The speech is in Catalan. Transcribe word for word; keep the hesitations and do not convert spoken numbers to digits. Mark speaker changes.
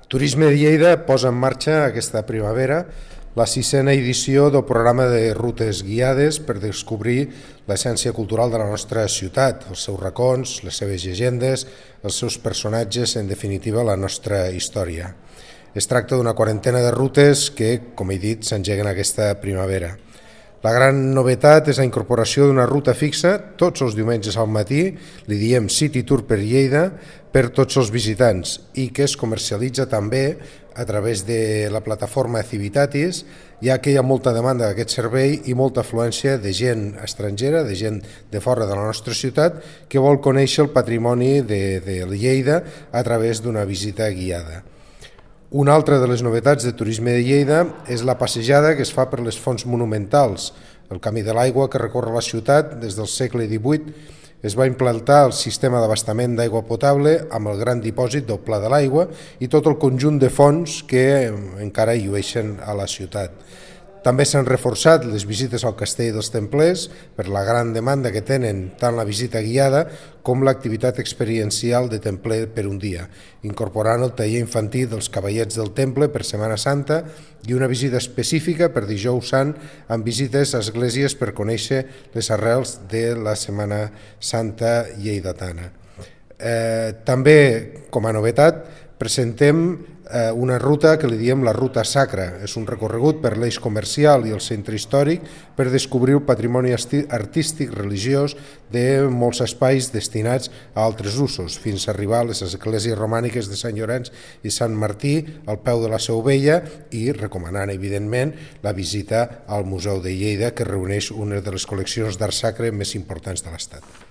Speaker 1: Turisme de Lleida posa en marxa aquesta primavera la sisena edició del programa de rutes guiades per descobrir l'essència cultural de la nostra ciutat, els seus racons, les seves llegendes, els seus personatges, en definitiva la nostra història. Es tracta d'una quarantena de rutes que, com he dit, s'engeguen aquesta primavera. La gran novetat és la incorporació d'una ruta fixa tots els diumenges al matí, li diem City Tour per Lleida, per tots els visitants i que es comercialitza també a través de la plataforma Civitatis, ja que hi ha molta demanda d'aquest servei i molta afluència de gent estrangera, de gent de fora de la nostra ciutat, que vol conèixer el patrimoni de, de Lleida a través d'una visita guiada. Una altra de les novetats de Turisme de Lleida és la passejada que es fa per les fonts monumentals. El Camí de l'Aigua que recorre la ciutat des del segle divuit es va implantar el sistema d'abastament d'aigua potable amb el gran dipòsit del Pla de l'Aigua i tot el conjunt de fonts que encara llueixen a la ciutat. També s'han reforçat les visites al Castell dels Templers per la gran demanda que tenen tant la visita guiada com l'activitat experiencial de Templer per un dia, incorporant el taller infantil dels Cavallets del Temple per Setmana Santa i una visita específica per Dijous Sant amb visites a esglésies per conèixer les arrels de la Setmana Santa lleidatana. Eh, també, com a novetat, presentem eh, una ruta que li diem la Ruta Sacra. És un recorregut per l'eix comercial i el centre històric per descobrir el patrimoni artístic religiós de molts espais destinats a altres usos, fins a arribar a les esglésies romàniques de Sant Llorenç i Sant Martí al peu de la Seu Vella i recomanant, evidentment, la visita al Museu de Lleida, que reuneix una de les col·leccions d'art sacre més importants de l'Estat.